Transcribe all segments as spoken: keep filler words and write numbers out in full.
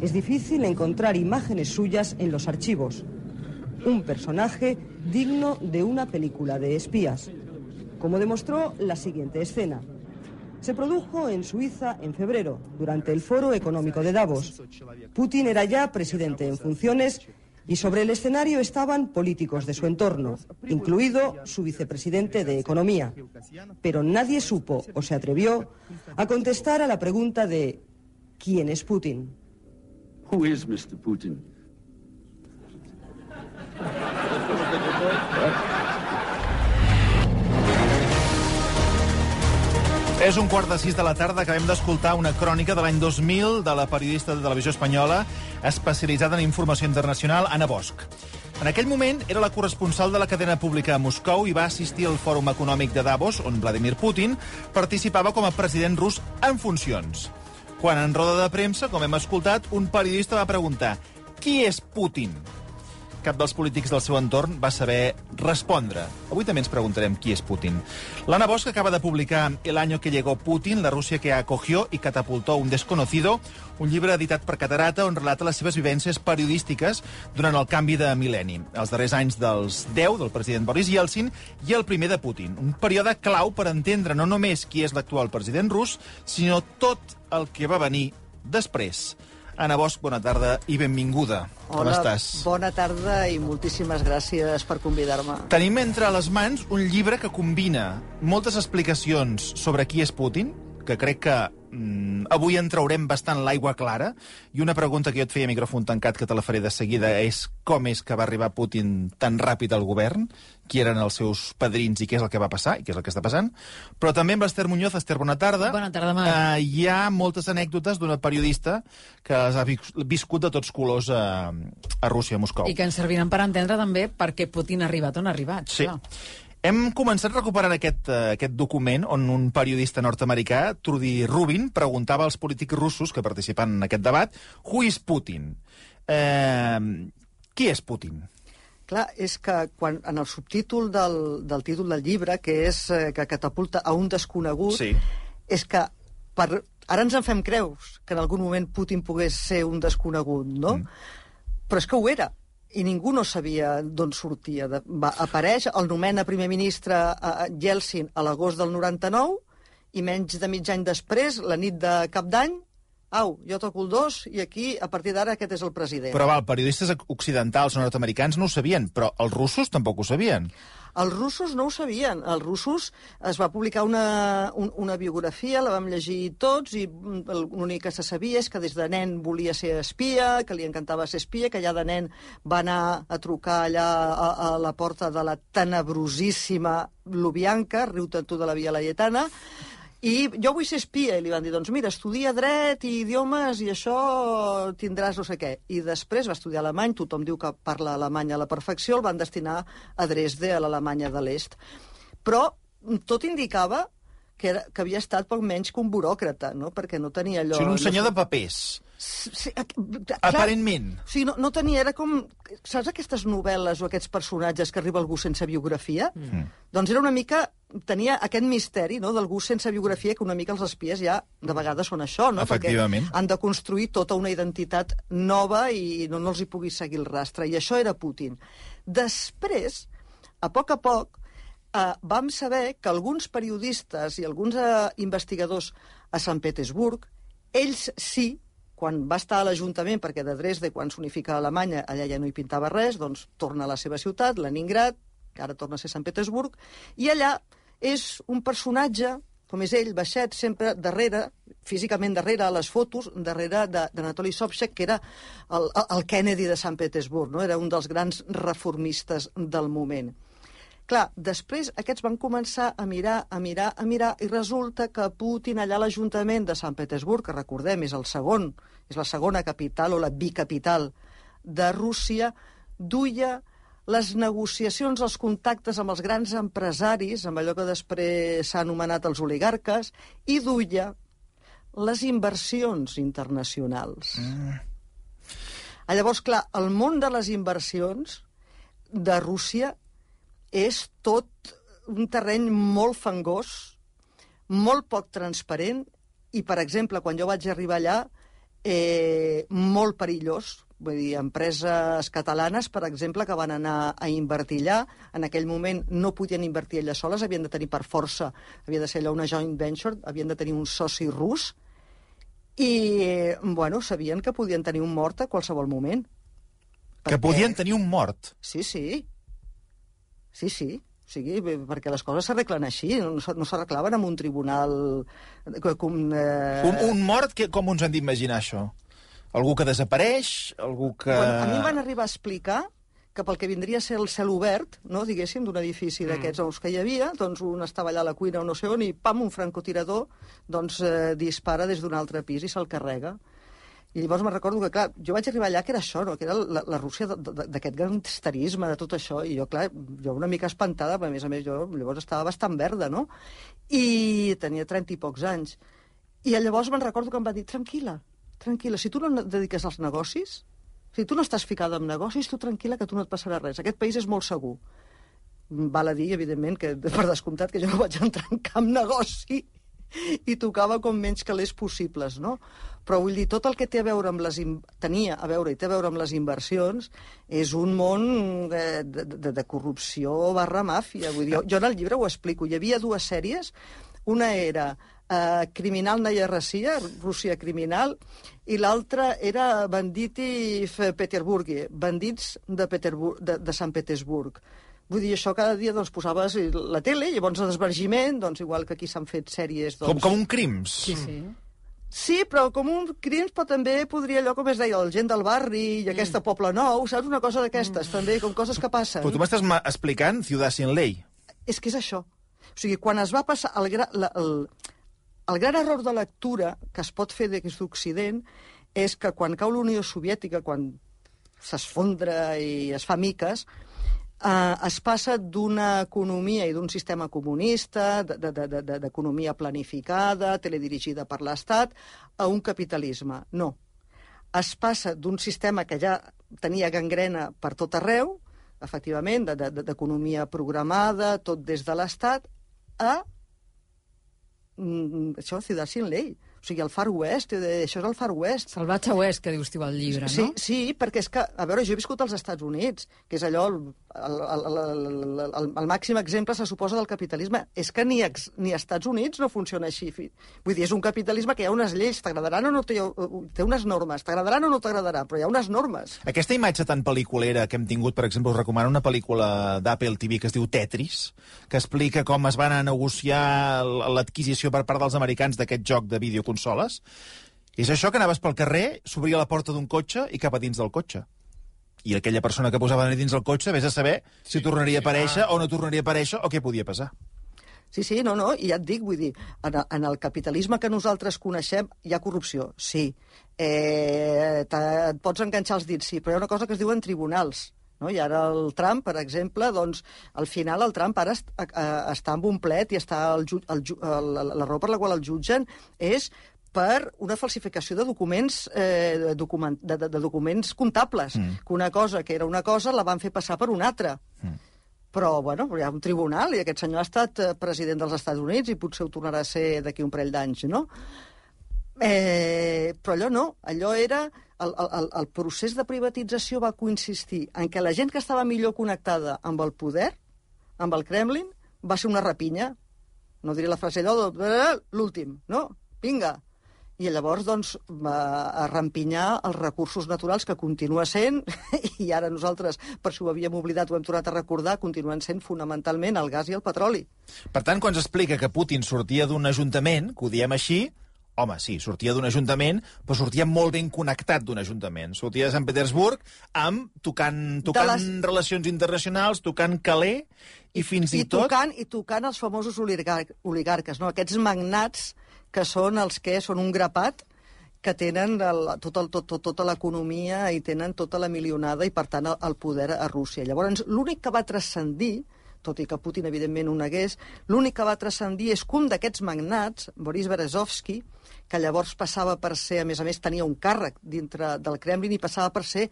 Es difícil encontrar imágenes suyas en los archivos. Un personaje digno de una película de espías, como demostró la siguiente escena. Se produjo en Suiza en febrero, durante el Foro Económico de Davos. Putin era ya presidente en funciones y sobre el escenario estaban políticos de su entorno, incluido su vicepresidente de Economía. Pero nadie supo o se atrevió a contestar a la pregunta de ¿quién es Putin? Who is mister Putin? És un quart de sis de la tarda, acabem d'escoltar una crònica de l'any dos mil de la periodista de televisió espanyola especialitzada en informació internacional, Anna Bosch. En aquell moment era la corresponsal de la cadena pública a Moscou i va assistir al Fòrum Econòmic de Davos, on Vladimir Putin participava com a president rus en funcions. Quan en roda de premsa, com hem escoltat, un periodista va preguntar «Qui és Putin?». Cap dels polítics del seu entorn va saber respondre. Avui també ens preguntarem qui és Putin. L'Anna Bosch acaba de publicar El año que llegó Putin, la Rússia que acogió y catapultó un desconocido, un llibre editat per Catarata on relata les seves vivències periodístiques durant el canvi de mil·lenni, els darrers anys dels deu del president Boris Yeltsin i el primer de Putin. Un període clau per entendre no només qui és l'actual president rus, sinó tot el que va venir després. Anna Bosch, bona tarda i benvinguda. Hola, com estàs? Bona tarda i moltíssimes gràcies per convidar-me. Tenim entre les mans un llibre que combina moltes explicacions sobre qui és Putin, que crec que mm, avui en traurem bastant l'aigua clara, i una pregunta que jo et feia a micròfon tancat, que te la faré de seguida, és com és que va arribar Putin tan ràpid al govern, qui eren els seus padrins i què és el que va passar, i què és el que està passant. Però també amb l'Ester Muñoz. Ester, bona tarda. Bona tarda, Marc. Uh, hi ha moltes anècdotes d'una periodista que les ha viscut de tots colors a, a Rússia, a Moscou. I que ens serviran per entendre també per què Putin ha arribat on ha arribat. Sí. Clar. Hem començat recuperant aquest, uh, aquest document on un periodista nord-americà, Trudy Rubin, preguntava als polítics russos que participen en aquest debat «Who is Putin?». Eh, qui és Putin? Clar, és que quan, en el subtítol del, del títol del llibre, que és eh, que catapulta a un desconegut, sí. És que per, ara ens en fem creus que en algun moment Putin pogués ser un desconegut, no? Mm. Però és que ho era. I ningú no sabia d'on sortia. De, va, apareix, el nomena primer ministre a Yeltsin a l'agost del noranta-nou i menys de mig any després, la nit de Cap d'Any, au, jo toco el dos i aquí, a partir d'ara, aquest és el president. Però val, periodistes occidentals nord-americans no ho sabien, però els russos tampoc ho sabien. Els russos no ho sabien. Els russos es va publicar una, un, una biografia, la vam llegir tots, i l'únic que se sabia és que des de nen volia ser espia, que li encantava ser espia, que ja de nen va anar a trucar allà a, a la porta de la tenebrosíssima Lubyanka, riu-te'n tu de la Via Laietana, i jo vull ser espia, i li van dir, doncs mira, estudia dret i idiomes i això tindràs no sé què. I després va estudiar alemany, tothom diu que parla alemany a la perfecció, el van destinar a Dresde, a l'Alemanya de l'Est. Però tot indicava que, era, que havia estat poc menys que un buròcrata, no? Perquè no tenia allò... O sigui, un senyor no sé... de papers. Sí, clar, aparentment. O sigui, no, no tenia, era com... Saps aquestes novel·les o aquests personatges que arriba algú sense biografia? Mm. Doncs era una mica... Tenia aquest misteri, no?, d'algú sense biografia, que una mica els espies ja de vegades són això, no? Efectivament. Perquè han de construir tota una identitat nova i no, no els hi pugui seguir el rastre. I això era Putin. Després, a poc a poc, eh, vam saber que alguns periodistes i alguns eh, investigadors a Sant Petersburg, ells sí, quan va estar a l'Ajuntament, perquè de Dresde, quan s'unifica a Alemanya, allà ja no hi pintava res, doncs torna a la seva ciutat, Leningrad, que ara torna a ser Sant Petersburg, i allà és un personatge, com és ell, baixet, sempre darrere, físicament darrere, a les fotos, darrere d'Anatoly Sobchak, que era el, el Kennedy de Sant Petersburg, no? Era un dels grans reformistes del moment. Clar, després aquests van començar a mirar, a mirar, a mirar, i resulta que Putin, allà a l'Ajuntament de Sant Petersburg, que recordem, és el segon, és la segona capital o la bicapital de Rússia, duia les negociacions, els contactes amb els grans empresaris, amb allò que després s'ha anomenat els oligarques, i duia les inversions internacionals. Mm. Llavors, clar, el món de les inversions de Rússia és tot un terreny molt fangós, molt poc transparent, i, per exemple, quan jo vaig arribar allà, eh, molt perillós. Vull dir, empreses catalanes, per exemple, que van anar a invertir allà, en aquell moment no podien invertir elles soles, havien de tenir per força, havia de ser allò una joint venture, havien de tenir un soci rus, i, bueno, sabien que podien tenir un mort a qualsevol moment. Que perquè... podien tenir un mort? Sí, sí. Sí, sí. O sigui, perquè les coses s'arreglen així, no, no s'arreglaven amb un tribunal... Com, eh... un, un mort, que, com ens han d'imaginar això? Algú que desapareix? Algú que... Bueno, a mi em van arribar a explicar que pel que vindria a ser el cel obert, no, diguéssim, d'un edifici mm. d'aquests nous que hi havia, doncs un estava allà a la cuina o no sé on, i pam, un francotirador doncs, eh, dispara des d'un altre pis i se'l carrega. I llavors me'n recordo que, clar, jo vaig arribar allà que era això, no? Que era la, la Rússia d'aquest gangsterisme, de tot això, i jo, clar, jo una mica espantada, però a més a més jo llavors estava bastant verda, no? I tenia trenta i pocs anys. I llavors me'n recordo que em va dir, tranquil·la, tranquil·la, si tu no et dediques als negocis, si tu no estàs ficada en negocis, tu tranquil·la que tu no et passarà res. Aquest país és molt segur. Val a dir, evidentment, que per descomptat que jo no vaig entrar en cap negoci i tocava com menys calés possibles, no? Però vull dir, tot el que té a veure amb les... tenia a veure i té a veure amb les inversions és un món de, de, de corrupció barra màfia. Vull dir, jo, jo en el llibre ho explico. Hi havia dues sèries. Una era uh, Criminal Naya Russia, Rússia criminal, i l'altra era Banditi Peterburgi, bandits de, Peterbur de, de Sant Petersburg. Vull dir, això cada dia doncs, posaves la tele, llavors el desvergiment, doncs, igual que aquí s'han fet sèries... Doncs... Com, com un crims. Sí, sí. Sí, però com un crims, però també podria allò, com es deia, el gent del barri i mm. aquesta Poble Nou, saps? Una cosa d'aquestes, mm. també, com coses que passen. Però tu m'estàs explicant Ciudad sin ley. És que és això. O sigui, quan es va passar... El, gra, la, el, el gran error de lectura que es pot fer des d'Occident és que quan cau la Unió Soviètica, quan s'esfondra i es fa miques, eh, es passa d'una economia i d'un sistema comunista, d'economia planificada, teledirigida per l'Estat, a un capitalisme. No. Es passa d'un sistema que ja tenia gangrena per tot arreu, efectivament, d'economia programada, tot des de l'Estat, a mm, això, Ciudad sin ley. O sigui, el Far West, això és el Far West. Salvatge Oest, que dius tu al llibre, sí, no? Sí, perquè és que, a veure, jo he viscut als Estats Units, que és allò, el, el, el, el, el, el màxim exemple, se suposa, del capitalisme. És que ni, ex, ni als Estats Units no funciona així. Vull dir, és un capitalisme que hi ha unes lleis, t'agradaran o no, té, té unes normes, t'agradaran o no t'agradaran, però hi ha unes normes. Aquesta imatge tan pel·liculera que hem tingut, per exemple, us recomano una pel·lícula d'Apple T V que es diu Tetris, que explica com es van a negociar l'adquisició per part dels americans d'aquest joc de videoconsoles. És això, que anaves pel carrer, s'obria la porta d'un cotxe i cap a dins del cotxe. I aquella persona que posava dins del cotxe, vés a saber si tornaria a aparèixer o no tornaria a aparèixer o què podia passar. Sí, sí, no, no, i ja et dic, vull dir, en, en el capitalisme que nosaltres coneixem hi ha corrupció, sí. Eh, et pots enganxar els dits, sí, però hi ha una cosa que es diuen tribunals. No? I ara el Trump, per exemple, doncs, al final el Trump ara est, a, a, està amb un plet i està el, el, el, la raó per la qual el jutgen és per una falsificació de documents, eh, document, de, de, de documents comptables, mm. que una cosa que era una cosa la van fer passar per una altra. Mm. Però, bueno, hi ha un tribunal i aquest senyor ha estat president dels Estats Units i potser ho tornarà a ser d'aquí un parell d'anys, no? Eh, però allò no, allò era... El, el, el procés de privatització va consistir en que la gent que estava millor connectada amb el poder, amb el Kremlin, va ser una rapinya. No diré la frase allò de l'últim, no? Vinga! I llavors, doncs, va rampinyar els recursos naturals, que continua sent, i ara nosaltres, per si ho havíem oblidat, ho hem tornat a recordar, continuen sent fonamentalment el gas i el petroli. Per tant, quan s'explica que Putin sortia d'un ajuntament, que ho diem així, home, sí, sortia d'un ajuntament, però sortia molt ben connectat d'un ajuntament. Sortia de Sant Petersburg amb tocant, tocant les... relacions internacionals, tocant calé, i fins i, i tot... Tocant, I tocant els famosos oligar oligarques, no? Aquests magnats que són els que són un grapat, que tenen el, tot el, tot, tot, tota l'economia i tenen tota la milionada i, per tant, el, el poder a Rússia. Llavors, l'únic que va transcendir, tot i que Putin, evidentment, ho negués, l'únic que va transcendir és que un d'aquests magnats, Boris Berezovsky, que llavors passava per ser, a més a més, tenia un càrrec dintre del Kremlin i passava per ser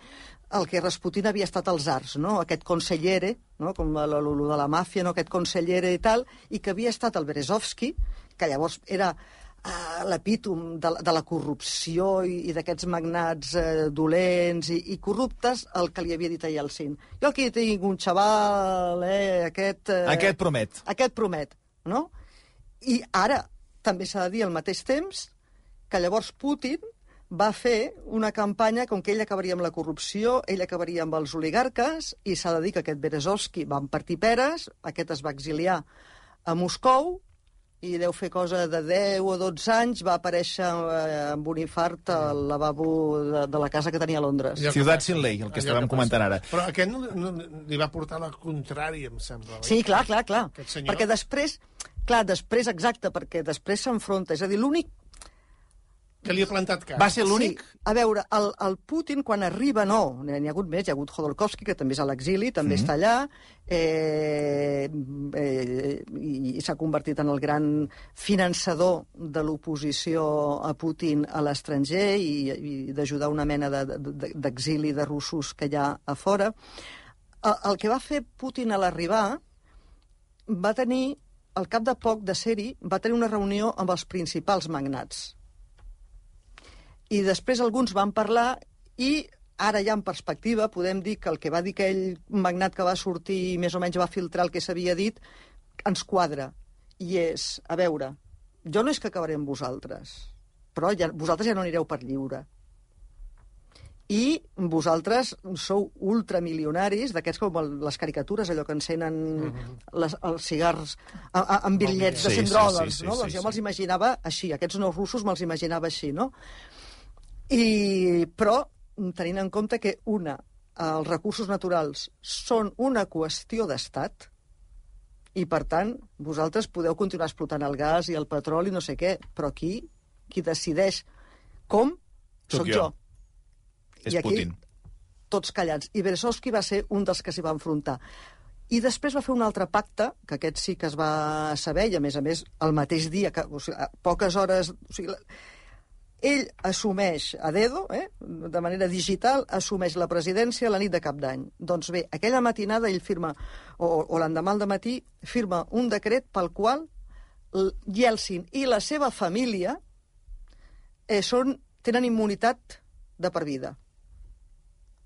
el que Rasputin havia estat als arts, no? Aquest consellere, no? Com el, el, el de la màfia, no? Aquest consellere i tal, i que havia estat el Berezovsky, que llavors era uh, l'epítom de, de la corrupció i, i d'aquests magnats uh, dolents i, i corruptes, el que li havia dit a Yeltsin. Jo aquí tinc un xaval, eh, aquest... Uh, aquest promet. Aquest promet, no? I ara també s'ha de dir al mateix temps que llavors Putin va fer una campanya com que ell acabaria amb la corrupció, ell acabaria amb els oligarques, i s'ha de dir que aquest Berezovsky van partir peres, aquest es va exiliar a Moscou, i deu fer cosa de deu o dotze anys, va aparèixer eh, amb un infart al lavabo de, de la casa que tenia a Londres. Ciutat sin ley, el que estàvem comentant ara. Però aquest no, no, li va portar la contrària, em sembla. Sí, clar, clar, clar. Senyor... Perquè després, clar, després, exacte, perquè després s'enfronta. És a dir, l'únic... Que li ha plantat cara. Va ser l'únic? Sí. A veure, el, el Putin, quan arriba, no. N'hi ha hagut més. Hi ha hagut Khodorkovsky, que també és a l'exili, també mm-hmm. està allà, eh, eh, i, i s'ha convertit en el gran finançador de l'oposició a Putin a l'estranger i, i d'ajudar una mena d'exili de, de, de russos que hi ha a fora. El, el que va fer Putin a l'arribar va tenir, al cap de poc de ser-hi, va tenir una reunió amb els principals magnats. I després alguns van parlar i ara ja en perspectiva podem dir que el que va dir aquell magnat que va sortir i més o menys va filtrar el que s'havia dit ens quadra. I és, a veure, jo no és que acabaré amb vosaltres, però ja, vosaltres ja no anireu per lliure. I vosaltres sou ultramilionaris, d'aquests com les caricatures, allò que encenen uh-huh. les, els cigars a, a, amb bitllets de cent dòlars, no? Doncs jo me'ls imaginava així, aquests nous russos me'ls imaginava així, no? I, però, tenint en compte que, una, els recursos naturals són una qüestió d'estat i, per tant, vosaltres podeu continuar explotant el gas i el petroli, no sé què, però aquí, qui decideix com, soc jo. És I aquí, Putin. Tots callats. I Berezovsky va ser un dels que s'hi va enfrontar. I després va fer un altre pacte, que aquest sí que es va saber, i a més a més, el mateix dia, que, o sigui, a poques hores... O sigui, ell assumeix a dedo, eh, de manera digital, assumeix la presidència la nit de Cap d'Any. Doncs bé, aquella matinada ell firma, o, o l'endemà al dematí, firma un decret pel qual Yeltsin i la seva família eh, són, tenen immunitat de per vida.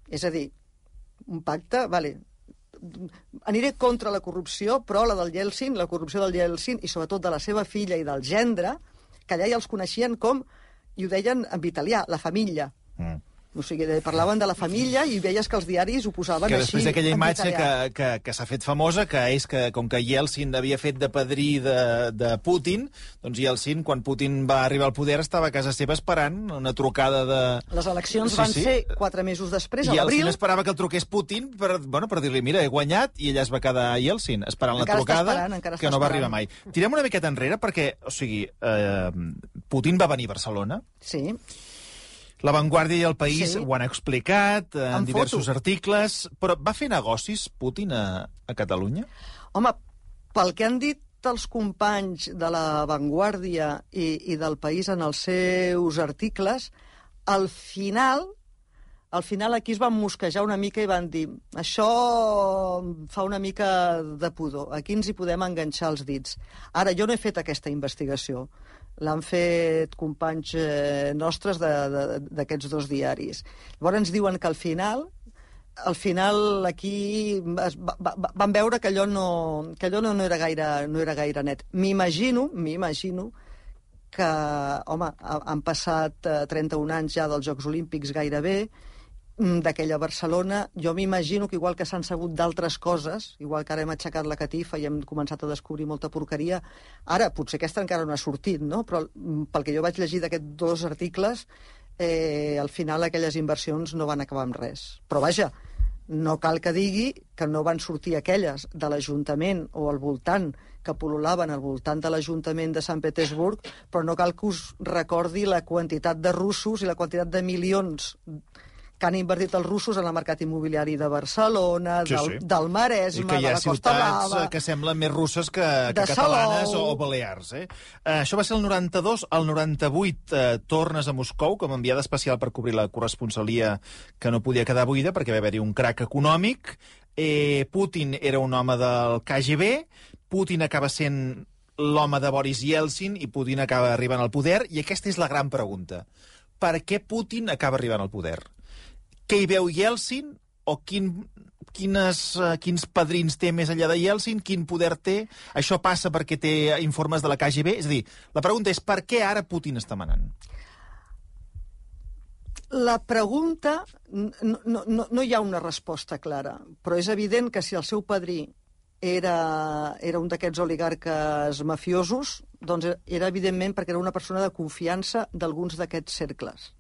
És a dir, un pacte, vale, aniré contra la corrupció, però la del Yeltsin, la corrupció del Yeltsin, i sobretot de la seva filla i del gendre, que allà ja els coneixien com... i ho deien en italià, la família. Mm. O sigui, parlaven de la família i veies que els diaris ho posaven que així. Que després d'aquella imatge que, italià. que, que s'ha fet famosa, que és que, com que Yeltsin havia fet de padrí de, de Putin, doncs Yeltsin, quan Putin va arribar al poder, estava a casa seva esperant una trucada de... Les eleccions sí, van sí. ser quatre mesos després, a l'abril. Yeltsin esperava que el truqués Putin per, bueno, per dir-li, mira, he guanyat, i ella es va quedar a Yeltsin, esperant encara la trucada, esperant, que no va arribar mai. Tirem una miqueta enrere, perquè, o sigui, eh, Putin va venir a Barcelona. Sí. La Vanguardia i El País sí. ho han explicat en Amb diversos foto. articles, però va fer negocis Putin a, a Catalunya? Home, pel que han dit els companys de la Vanguardia i, i del País en els seus articles, al final, al final aquí es van mosquejar una mica i van dir això fa una mica de pudor, aquí ens hi podem enganxar els dits. Ara, jo no he fet aquesta investigació. L'han fet companys eh, nostres d'aquests dos diaris. Llavors ens diuen que al final, al final aquí es va, va, van veure que allò no, que allò no, no, era gaire, no era gaire net. M'imagino, m'imagino que, home, han passat trenta-un anys ja dels Jocs Olímpics gairebé, d'aquella Barcelona. Jo m'imagino que igual que s'han sabut d'altres coses, igual que ara hem aixecat la catifa i hem començat a descobrir molta porqueria, ara potser aquesta encara no ha sortit, no? Però pel que jo vaig llegir d'aquests dos articles, eh, al final aquelles inversions no van acabar amb res. Però vaja, no cal que digui que no van sortir aquelles de l'Ajuntament o al voltant, que pol·lulaven al voltant de l'Ajuntament de Sant Petersburg, però no cal que us recordi la quantitat de russos i la quantitat de milions que han invertit els russos en el mercat immobiliari de Barcelona, sí, del, sí. del Maresme, de la Costa Blava... ciutats que semblen més russes que, que catalanes o, o balears. Eh? Uh, això va ser el noranta-dos. El noranta-vuit uh, tornes a Moscou com a enviada especial per cobrir la corresponsalia que no podia quedar buida perquè va haver-hi un crac econòmic. Eh, Putin era un home del K G B. Putin acaba sent l'home de Boris Yeltsin i Putin acaba arribant al poder, i aquesta és la gran pregunta. Per què Putin acaba arribant al poder? Què hi veu Yeltsin? O quin, quines, uh, quins padrins té més enllà de Yeltsin? Quin poder té? Això passa perquè té informes de la K G B? És a dir, la pregunta és per què ara Putin està manant? La pregunta, no, no, no hi ha una resposta clara, però és evident que si el seu padrí era, era un d'aquests oligarques mafiosos, doncs era evidentment perquè era una persona de confiança d'alguns d'aquests cercles.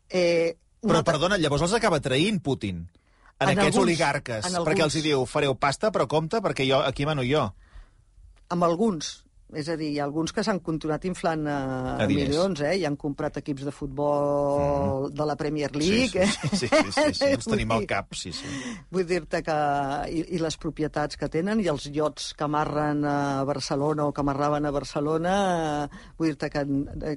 Eh, però, altra... perdona, llavors els acaba traint Putin, en, en aquests alguns, oligarques, en perquè alguns... els hi diu, fareu pasta, però compte, perquè jo, aquí mano jo. Amb alguns. És a dir, hi ha alguns que s'han continuat inflant a milions, eh? I han comprat equips de futbol mm. de la Premier League. Sí, sí, sí, sí, sí, sí. Els tenim al cap, sí, sí. Vull dir-te que... I, I les propietats que tenen, i els iots que amarren a Barcelona o que amarraven a Barcelona, vull dir-te que,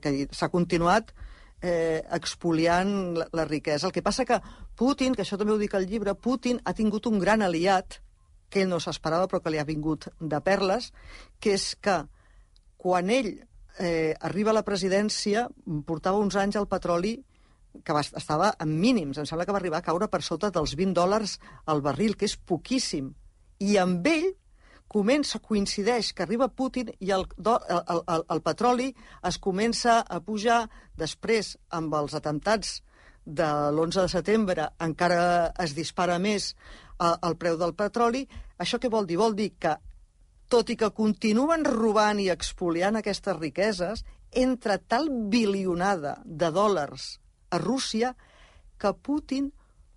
que s'ha continuat eh, expoliant la, la riquesa. El que passa que Putin, que això també ho dic al llibre, Putin ha tingut un gran aliat, que ell no s'esperava però que li ha vingut de perles, que és que quan ell eh, arriba a la presidència, portava uns anys el petroli que va, estava en mínims. Em sembla que va arribar a caure per sota dels vint dòlars al barril, que és poquíssim. I amb ell comença, coincideix que arriba Putin i el, el, el, el petroli es comença a pujar. Després, amb els atemptats de l'onze de setembre, encara es dispara més eh, el preu del petroli. Això què vol dir? Vol dir que tot i que continuen robant i expoliant aquestes riqueses, entra tal bilionada de dòlars a Rússia que Putin,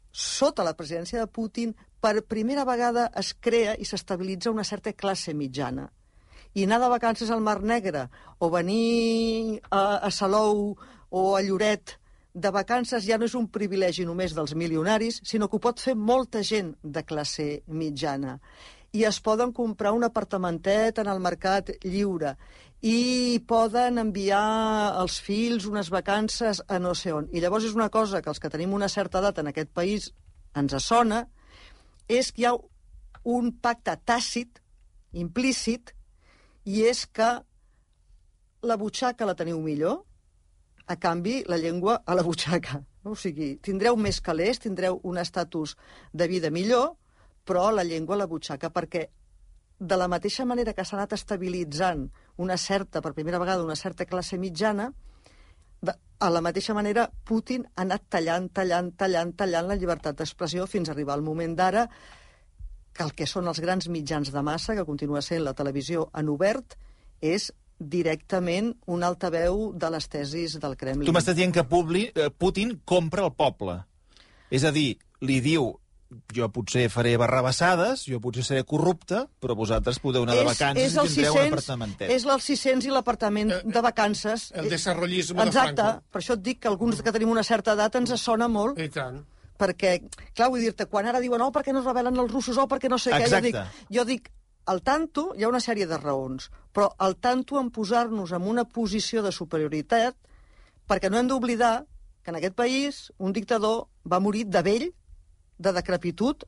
sota la presidència de Putin, per primera vegada es crea i s'estabilitza una certa classe mitjana. I anar de vacances al Mar Negre o venir a, a Salou o a Lloret de vacances ja no és un privilegi només dels milionaris, sinó que ho pot fer molta gent de classe mitjana. I es poden comprar un apartamentet en el mercat lliure, i poden enviar als fills unes vacances a no sé on. I llavors és una cosa que els que tenim una certa edat en aquest país ens sona, és que hi ha un pacte tàcit, implícit, i és que la butxaca la teniu millor, a canvi la llengua a la butxaca. O sigui, tindreu més calés, tindreu un estatus de vida millor, però la llengua a la butxaca, perquè de la mateixa manera que s'ha anat estabilitzant una certa, per primera vegada, una certa classe mitjana, a la mateixa manera Putin ha anat tallant, tallant, tallant, tallant la llibertat d'expressió fins a arribar al moment d'ara que el que són els grans mitjans de massa, que continua sent la televisió en obert, és directament un altaveu de les tesis del Kremlin. Tu m'estàs dient que Publi, eh, Putin compra el poble. És a dir, li diu, jo potser faré barrabassades, jo potser seré corrupte, però vosaltres podeu anar de vacances és, és i tindreu un apartamentet. És el sis-cents i l'apartament eh, de vacances. El desarrollisme de Franco. Exacte, per això et dic que alguns que tenim una certa edat ens sona molt. I tant. Perquè, clar, vull dir-te, quan ara diuen, oh, per què no es rebel·len els russos, oh, per què no sé què, jo dic, jo dic, al tanto hi ha una sèrie de raons, però al tanto en posar-nos en una posició de superioritat, perquè no hem d'oblidar que en aquest país un dictador va morir de vell, de decrepitud,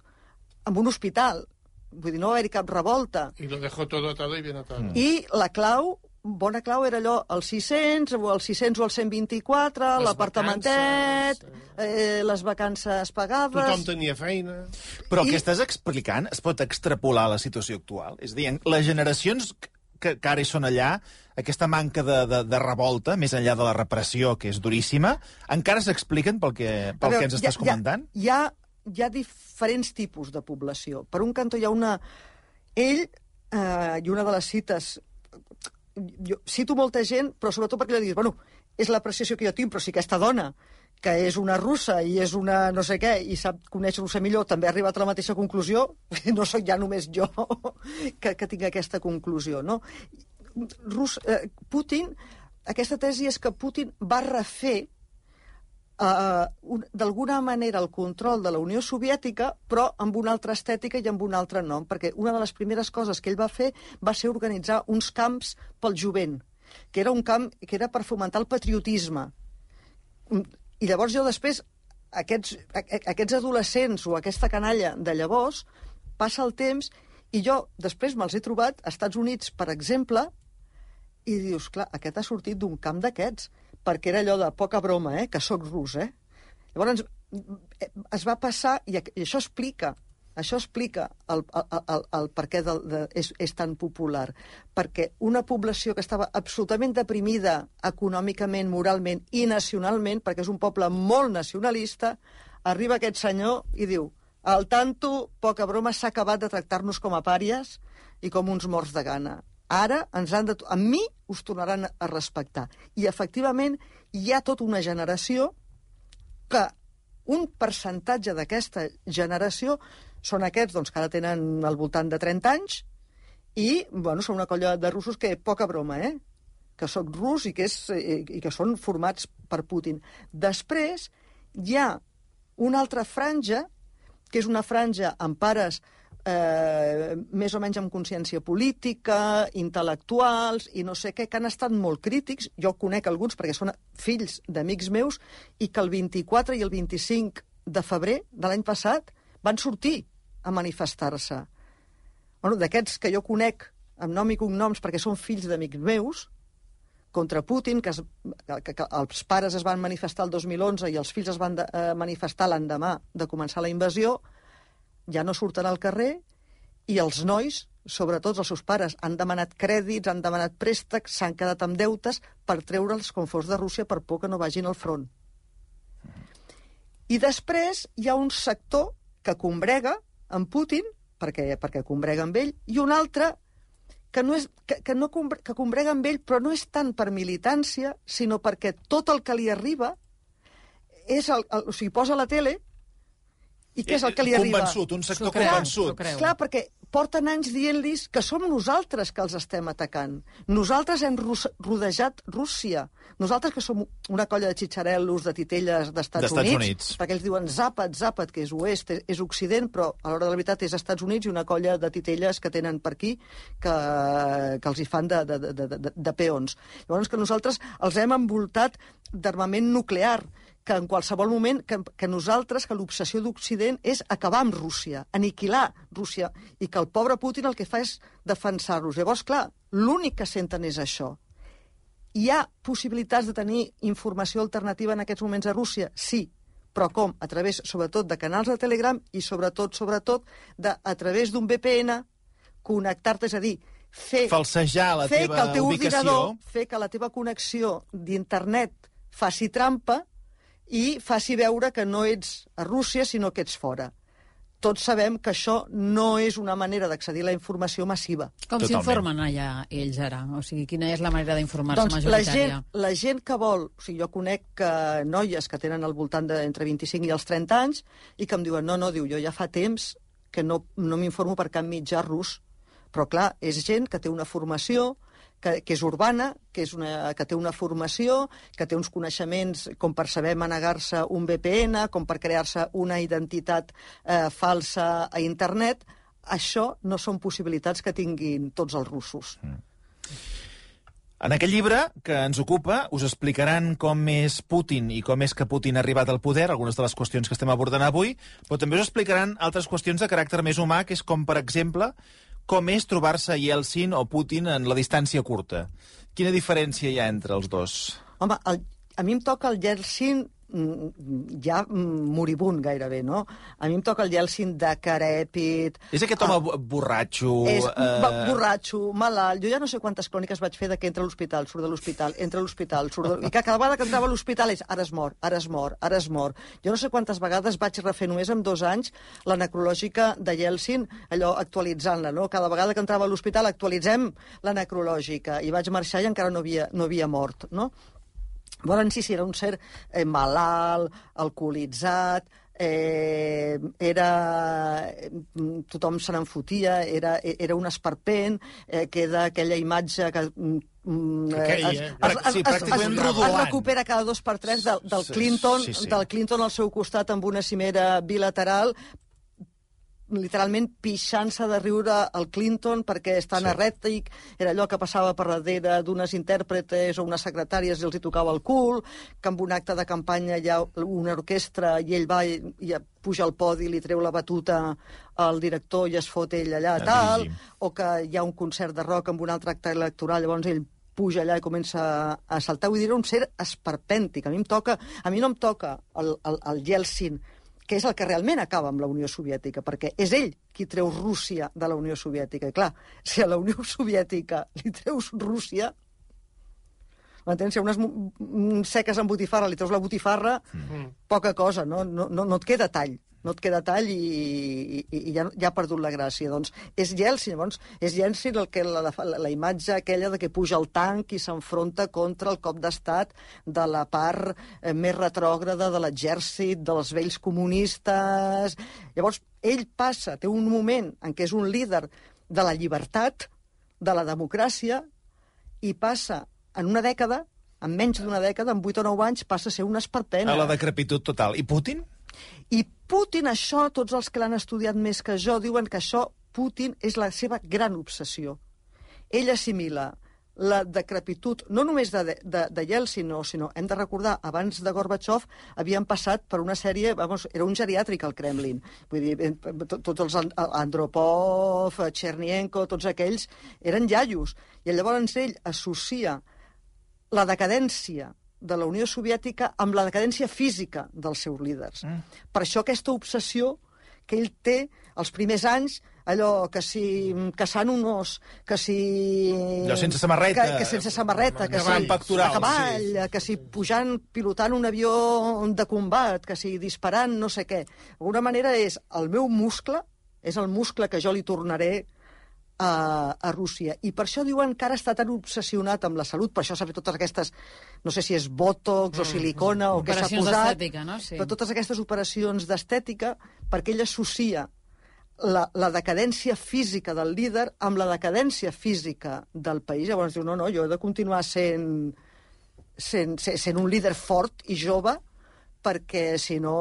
en un hospital. Vull dir, no va haver-hi cap revolta. I lo dejó todo atado y bien atado. Mm. I la clau, bona clau, era allò, el sis-cents, o el sis-cents o el cent vint-i-quatre, l'apartamentet, eh, les vacances pagades... Tothom tenia feina... Però el I... que estàs explicant es pot extrapolar a la situació actual? És a dir, les generacions que, que ara hi són allà, aquesta manca de, de, de revolta, més enllà de la repressió, que és duríssima, encara s'expliquen pel que, pel veure, que ens estàs hi ha, comentant? Hi ha... hi ha diferents tipus de població. Per un cantó hi ha una... Ell, eh, i una de les cites... Jo cito molta gent, però sobretot perquè li dius, bueno, és l'apreciació que jo tinc, però si aquesta dona, que és una russa i és una no sé què, i sap conèixer-ho millor, també ha arribat a la mateixa conclusió, no sóc ja només jo que, que tinc aquesta conclusió, no? Rus, eh, Putin, aquesta tesi és que Putin va refer Uh, d'alguna manera el control de la Unió Soviètica, però amb una altra estètica i amb un altre nom, perquè una de les primeres coses que ell va fer va ser organitzar uns camps pel jovent, que era un camp que era per fomentar el patriotisme. I llavors jo després, aquests, aquests adolescents o aquesta canalla de llavors, passa el temps i jo després me'ls he trobat als Estats Units, per exemple, I dius, clar, aquest ha sortit d'un camp d'aquests, perquè era allò de poca broma, eh, que sóc rus, eh? Llavors, es va passar, i això explica, això explica el, el, el, el per què de, de, és, és tan popular. Perquè una població que estava absolutament deprimida econòmicament, moralment i nacionalment, perquè és un poble molt nacionalista, arriba aquest senyor i diu: al tanto, poca broma, s'ha acabat de tractar-nos com a pàries i com uns morts de gana. Ara ens han de... A mi us tornaran a respectar. I, efectivament, hi ha tota una generació que un percentatge d'aquesta generació són aquests doncs, que ara tenen al voltant de trenta anys i bueno, són una colla de russos que, poca broma, eh? que són rus i que, és, i que són formats per Putin. Després hi ha una altra franja, que és una franja amb pares eh, més o menys amb consciència política, intel·lectuals i no sé què, que han estat molt crítics. Jo conec alguns perquè són fills d'amics meus i que el vint-i-quatre i el vint-i-cinc de febrer de l'any passat van sortir a manifestar-se. Bueno, d'aquests que jo conec amb nom i cognoms perquè són fills d'amics meus, contra Putin, que, es, que, que els pares es van manifestar el dos mil onze i els fills es van de, eh, manifestar l'endemà de començar la invasió, ja no surten al carrer i els nois, sobretot els seus pares, han demanat crèdits, han demanat préstecs, s'han quedat amb deutes per treure'ls com fos de Rússia per por que no vagin al front. I després hi ha un sector que combrega amb Putin, perquè, perquè combrega amb ell, i un altre que, no és, que, que, no combre, que combrega amb ell, però no és tant per militància, sinó perquè tot el que li arriba és el, el, o sigui, posa a la tele i què és el que li arriba? Convençut, un sector creu, convençut. Clar, perquè porten anys dient-los que som nosaltres que els estem atacant. Nosaltres hem rodejat Rússia. Nosaltres que som una colla de xitxarel·los, de titelles d'Estats Units, Units, perquè ells diuen Zapat, Zapat, que és oest, és occident, però a l'hora de la veritat és Estats Units i una colla de titelles que tenen per aquí que, que els hi fan de, de, de, de, de peons. Llavors que nosaltres els hem envoltat d'armament nuclear, que en qualsevol moment, que, que nosaltres, que l'obsessió d'Occident és acabar amb Rússia, aniquilar Rússia, i que el pobre Putin el que fa és defensar-los. Llavors, clar, l'únic que senten és això. Hi ha possibilitats de tenir informació alternativa en aquests moments a Rússia? Sí, però com? A través, sobretot, de canals de Telegram i, sobretot, sobretot, de, a través d'un V P N, connectar-te, és a dir, fer... Falsejar la fer teva que el teu ubicació... ordinador, fer que la teva connexió d'internet faci trampa i faci veure que no ets a Rússia, sinó que ets fora. Tots sabem que això no és una manera d'accedir a la informació massiva. Com s'informen allà ells ara? O sigui, quina és la manera d'informar-se doncs majoritària? La gent, la gent que vol... O sigui, jo conec que noies que tenen al voltant d'entre vint-i-cinc i els trenta anys i que em diuen, no, no, diu, jo ja fa temps que no, no m'informo per cap mitjà rus. Però, clar, és gent que té una formació, que, que és urbana, que, és una, que té una formació, que té uns coneixements com per saber manegar-se un V P N, com per crear-se una identitat eh, falsa a internet. Això no són possibilitats que tinguin tots els russos. Mm. En aquest llibre que ens ocupa us explicaran com és Putin i com és que Putin ha arribat al poder, algunes de les qüestions que estem abordant avui, però també us explicaran altres qüestions de caràcter més humà, que és com, per exemple, com és trobar-se Yeltsin o Putin en la distància curta. Quina diferència hi ha entre els dos? Home, el, a mi em toca el Yeltsin ja moribund gairebé, no? A mi em toca el Yeltsin decrèpit... És aquest home uh, borratxo... És uh... borratxo, malalt... Jo ja no sé quantes cròniques vaig fer de que entra a l'hospital, surt de l'hospital, entra a l'hospital, surt de... I que cada vegada que entrava a l'hospital és ara es mor, ara es mor, ara es mor. Jo no sé quantes vegades vaig refer només en dos anys la necrològica de Yeltsin, allò actualitzant-la, no? Cada vegada que entrava a l'hospital actualitzem la necrològica. I vaig marxar i encara no havia, no havia mort, no? Volen sí, sí, era un ser eh, malalt, alcoholitzat, eh, era... tothom se n'enfotia, era, era un esperpent, eh, queda aquella imatge que... Mm, Aquell, es, eh? es, es, Sí, es, pràcticament es, rodolant. es recupera cada dos per tres del, del Clinton, sí, sí. del Clinton al seu costat amb una cimera bilateral, literalment pixant-se de riure al Clinton perquè és tan Sí. errètic, era allò que passava per darrere d'unes intèrpretes o unes secretàries i els hi tocava el cul, que amb un acte de campanya hi ha una orquestra i ell va i, i puja al podi, li treu la batuta al director i es fot ell allà, Ja, tal, dirigim. o que hi ha un concert de rock amb un altre acte electoral, llavors ell puja allà i comença a saltar. Vull dir, era un ser esperpèntic. A mi em toca, a mi no em toca el, el, el Yeltsin, que és el que realment acaba amb la Unió Soviètica, perquè és ell qui treu Rússia de la Unió Soviètica. I clar, si a la Unió Soviètica li treus Rússia, m'entens? Si a unes seques amb botifarra li treus la botifarra, mm. poca cosa, no, no, no, no et queda tall. No et queda tall i, i, i ja, ja ha perdut la gràcia. Doncs és Yeltsin, llavors, és Yeltsin el que la, la, la imatge aquella de que puja el tanc i s'enfronta contra el cop d'estat de la part eh, més retrògrada de l'exèrcit, dels vells comunistes. Llavors, ell passa, té un moment en què és un líder de la llibertat, de la democràcia, i passa en una dècada, en menys d'una dècada, en vuit o nou anys, passa a ser una esperpena. A la decrepitud total. I Putin? I Putin, això, tots els que l'han estudiat més que jo, diuen que això, Putin, és la seva gran obsessió. Ell assimila la decrepitud, no només de, de, de Yeltsin, no, sinó, hem de recordar, abans de Gorbachev havien passat per una sèrie, vamos, era un geriàtric al Kremlin. Vull dir, tots els Andropov, Chernienko, tots aquells, eren iaios. I llavors ell associa la decadència de la Unió Soviètica amb la decadència física dels seus líders. Mm. Per això aquesta obsessió que ell té els primers anys, allò que si caçant un os, que si... Allò sense samarreta. Que, que sense samarreta, que si pectoral, a cavall, sí. que si pujant, pilotant un avió de combat, que si disparant no sé què. D'alguna manera és el meu muscle, és el muscle que jo li tornaré A, a Rússia. I per això diuen que ara està tan obsessionat amb la salut, per això s'ha fet totes aquestes, no sé si és botox o silicona o què s'ha posat, d'estètica, no? Sí. però totes aquestes operacions d'estètica, perquè ell associa la, la decadència física del líder amb la decadència física del país. Llavors diu, no, no, jo he de continuar sent, sent, sent un líder fort i jove, perquè, si no,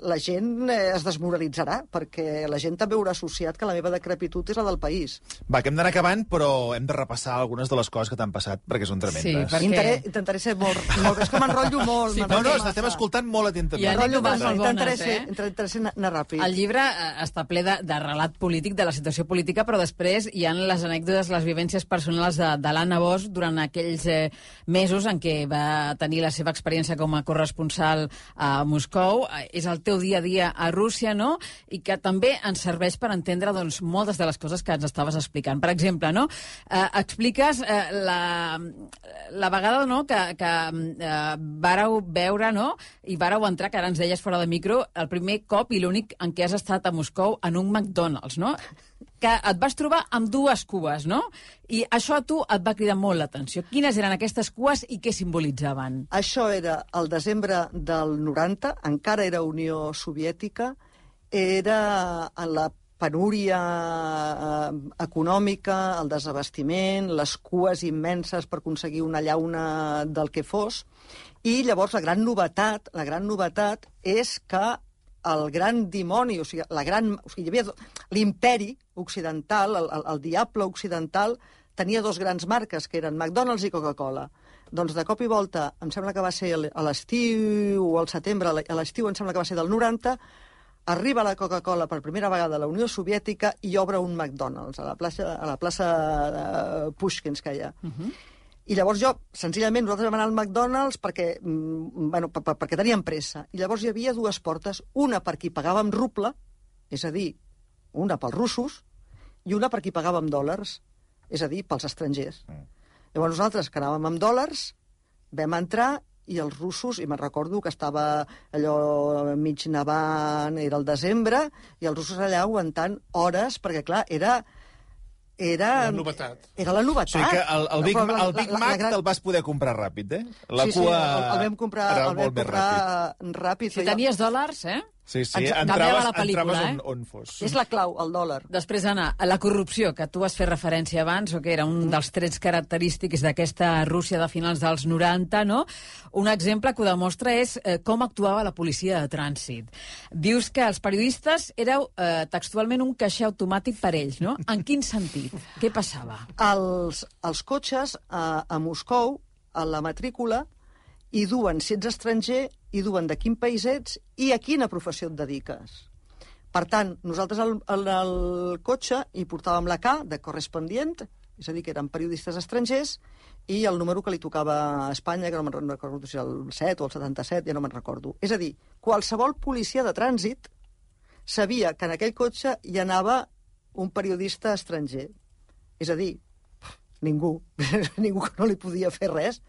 la gent es desmoralitzarà, perquè la gent també haurà associat que la meva decrepitud és la del país. Va, que hem d'anar acabant, però hem de repassar algunes de les coses que t'han passat, perquè són tremendes. Sí, perquè... Intentaré, intentaré ser molt... molt és que m'enrotllo molt. Sí, no, no, estem escoltant molt atentament. I anècdotes molt Intentaré bones, ser, eh? intentaré ser anar ràpid. El llibre eh, està ple de, de relat polític, de la situació política, però després hi ha les anècdotes, les vivències personals de, de l'Anna Bosch durant aquells eh, mesos en què va tenir la seva experiència com a corresponsal a Moscou. És el teu dia a dia a Rússia, no? I que també ens serveix per entendre doncs, moltes de les coses que ens estaves explicant. Per exemple, no? Eh, expliques eh, la, la vegada no? que, que eh, vàreu veure, no? I vàreu entrar, que ara ens deies fora de micro, el primer cop i l'únic en què has estat a Moscou en un McDonald's, no? Que et vas trobar amb dues cues, no? I això a tu et va cridar molt l'atenció. Quines eren aquestes cues i què simbolitzaven? Això era el desembre del noranta, encara era Unió Soviètica, era en la penúria eh, econòmica, el desabastiment, les cues immenses per aconseguir una llauna del que fos, i llavors la gran novetat, la gran novetat és que el gran dimoni, o sigui, la gran, o sigui, hi havia l'imperi occidental, el, el, el diable occidental, tenia dos grans marques, que eren McDonald's i Coca-Cola. Doncs de cop i volta, em sembla que va ser a l'estiu o al setembre, a l'estiu em sembla que va ser del noranta, arriba la Coca-Cola per primera vegada a la Unió Soviètica i obre un McDonald's a la plaça, a la plaça de Pushkinskaya. Uh-huh. I llavors jo, senzillament, nosaltres vam anar al McDonald's perquè, bueno, per, per, perquè teníem pressa. I llavors hi havia dues portes, una per qui pagàvem ruble, és a dir, una pels russos, i una per qui pagàvem dòlars, és a dir, pels estrangers. Mm. Llavors nosaltres, que anàvem amb dòlars, vam entrar i els russos, i me'n recordo que estava allò mig nevant, era el desembre, i els russos allà aguantant hores, perquè, clar, era... Era la novetat. Era la novetat. O sigui que el, el Big, la, el Big la, la, Mac la gran... te'l vas poder comprar ràpid, eh? La sí, cua sí, el, el vam comprar, el vam comprar ràpid. ràpid. Si tenies dòlars, eh? Sí, sí, Ens entraves, la pel·lícula, entraves eh? on, on fos. És la clau, el dòlar. Després, Anna, la corrupció, que tu has fet referència abans, o que era un dels trets característics d'aquesta Rússia de finals dels noranta, no? Un exemple que ho demostra és eh, com actuava la policia de trànsit. Dius que els periodistes éreu eh, textualment un caixer automàtic per ells, no? En quin sentit? Què passava? Els, els cotxes a, a Moscou, a la matrícula, hi duen, si ets estranger, hi duen de quin país ets i a quina professió et dediques. Per tant, nosaltres al, al, al cotxe hi portàvem la K de correspondient, és a dir, que eren periodistes estrangers, i el número que li tocava a Espanya, que no me'n recordo si el set o el setanta-set, ja no me'n recordo. És a dir, qualsevol policia de trànsit sabia que en aquell cotxe hi anava un periodista estranger. És a dir, ningú, ningú que no li podia fer res.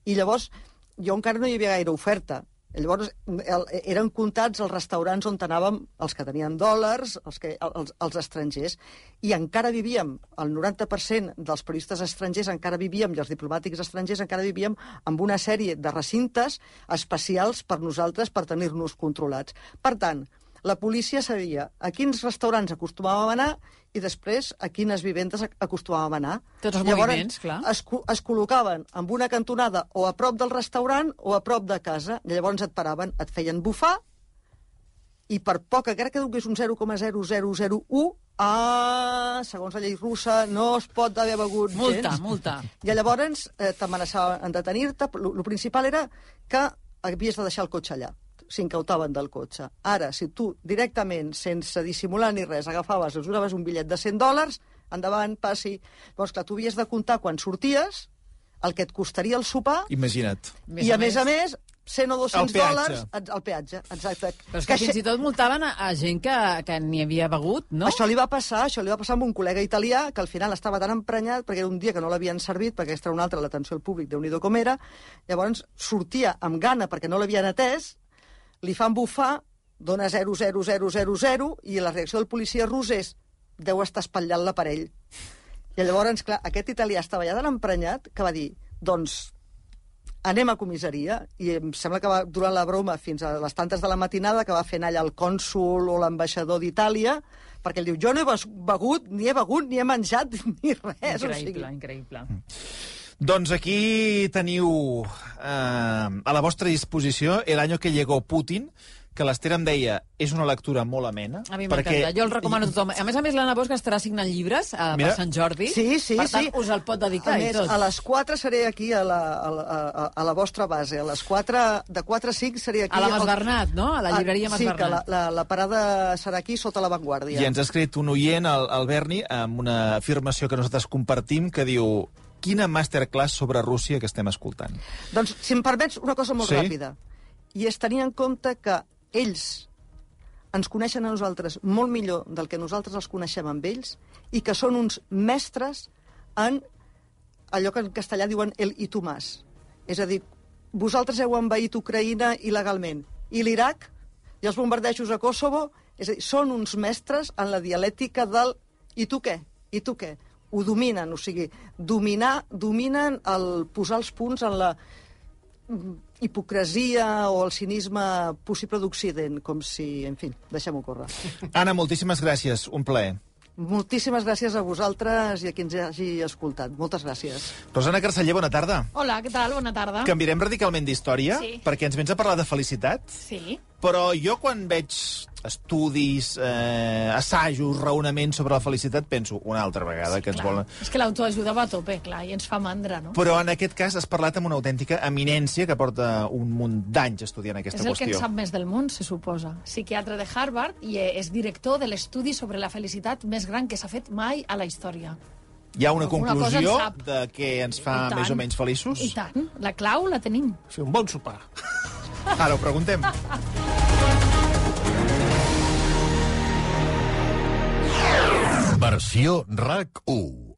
I llavors, jo encara no hi havia gaire oferta. Llavors, el, eren comptats els restaurants on anàvem els que tenien dòlars, els, que, els, els estrangers, i encara vivíem, el noranta per cent dels periodistes estrangers encara vivíem, i els diplomàtics estrangers encara vivíem amb una sèrie de recintes especials per nosaltres per tenir-nos controlats. Per tant, la policia sabia a quins restaurants acostumàvem a anar i després a quines vivendes acostumàvem a anar. Tots els Llavors, moviments, clar. Es, es col·locaven en una cantonada o a prop del restaurant o a prop de casa. I llavors et paraven, et feien bufar i per poc, encara que donés un zero coma zero zero zero u, ah, segons la llei russa, no es pot haver begut multa, gens. Multa, I llavors eh, t'amenaçaven en detenir-te. El principal era que havies de deixar el cotxe allà. S'incautaven del cotxe. Ara, si tu directament, sense dissimular ni res, agafaves, els donaves un bitllet de cent dòlars, endavant, passi. Llavors, clar, tu havies de comptar quan sorties, el que et costaria el sopar, Imagina't. i a més a més, cent o dos-cents El peatge. dòlars al peatge. Exacte. Però és que, que fins i tot multaven a, a gent que, que n'hi havia begut, no? Això li va passar, això li va passar amb un col·lega italià que al final estava tan emprenyat perquè era un dia que no l'havien servit, perquè aquesta era una altra, l'atenció al públic, Déu-n'hi-do com era, llavors sortia amb gana perquè no l'havien atès, li fan bufar, dona zero zero zero zero zero i la reacció del policia rus és deu estar espatllant l'aparell. I llavors, clar, aquest italià estava ja tan emprenyat que va dir, doncs, anem a comissaria, i em sembla que va durar la broma fins a les tantes de la matinada que va fer anar allà el cònsul o l'ambaixador d'Itàlia, perquè ell diu, jo no he begut, ni he begut, ni he menjat, ni res. Increïble, o sigui... increïble. Doncs aquí teniu eh, a la vostra disposició El año que llegó Putin, que l'Esther em deia, és una lectura molt amena. A mi m'encanta, jo el recomano a tothom. A més a més, l'Anna Bosch estarà signant llibres eh, per Sant Jordi. Sí, sí, per tant, sí. us el pot dedicar a i més, tot. A les quatre seré aquí a la, a, la, a, a la vostra base. A les quatre, de quatre a cinc seré aquí... A la Mas al... Bernat, no? A la llibreria Mas sí, Bernat. Sí, que la, la, la parada serà aquí sota l'avantguàrdia. I ens ha escrit un oient, el, el Berni, amb una afirmació que nosaltres compartim, que diu, quina masterclass sobre Rússia que estem escoltant. Doncs, si em permets, una cosa molt Sí? ràpida. I és tenir en compte que ells ens coneixen a nosaltres molt millor del que nosaltres els coneixem amb ells i que són uns mestres en allò que en castellà diuen el i tu más. És a dir, vosaltres heu envaït Ucraïna il·legalment i l'Iraq i els bombardejos a Kosovo, és a dir, són uns mestres en la dialèctica del i tu què? I tu què? Ho dominen, o sigui, dominar, dominen el posar els punts en la hipocresia o el cinisme possible d'Occident, com si, en fi, deixem-ho córrer. Anna, moltíssimes gràcies, un plaer. Moltíssimes gràcies a vosaltres i a qui ens hagi escoltat. Moltes gràcies. Rosana Carceller, bona tarda. Hola, què tal? Bona tarda. Canviarem radicalment d'història, Sí. perquè ens vens a parlar de felicitat. Sí. Però jo, quan veig estudis, eh, assajos, raonaments sobre la felicitat, penso una altra vegada Sí, que ens clar. volen... És que l'autoajuda va a tope, clar, i ens fa mandra, no? Però en aquest cas has parlat amb una autèntica eminència que porta un munt d'anys estudiant aquesta És el que qüestió. en sap més del món, se suposa. Psiquiatre de Harvard i és director de l'estudi sobre la felicitat més gran que s'ha fet mai a la història. Hi ha una Alguna cosa en conclusió sap. de què ens fa I tant. més o menys feliços? I tant, la clau la tenim. Fer un bon sopar. Ara ho preguntem. Versió RAC u.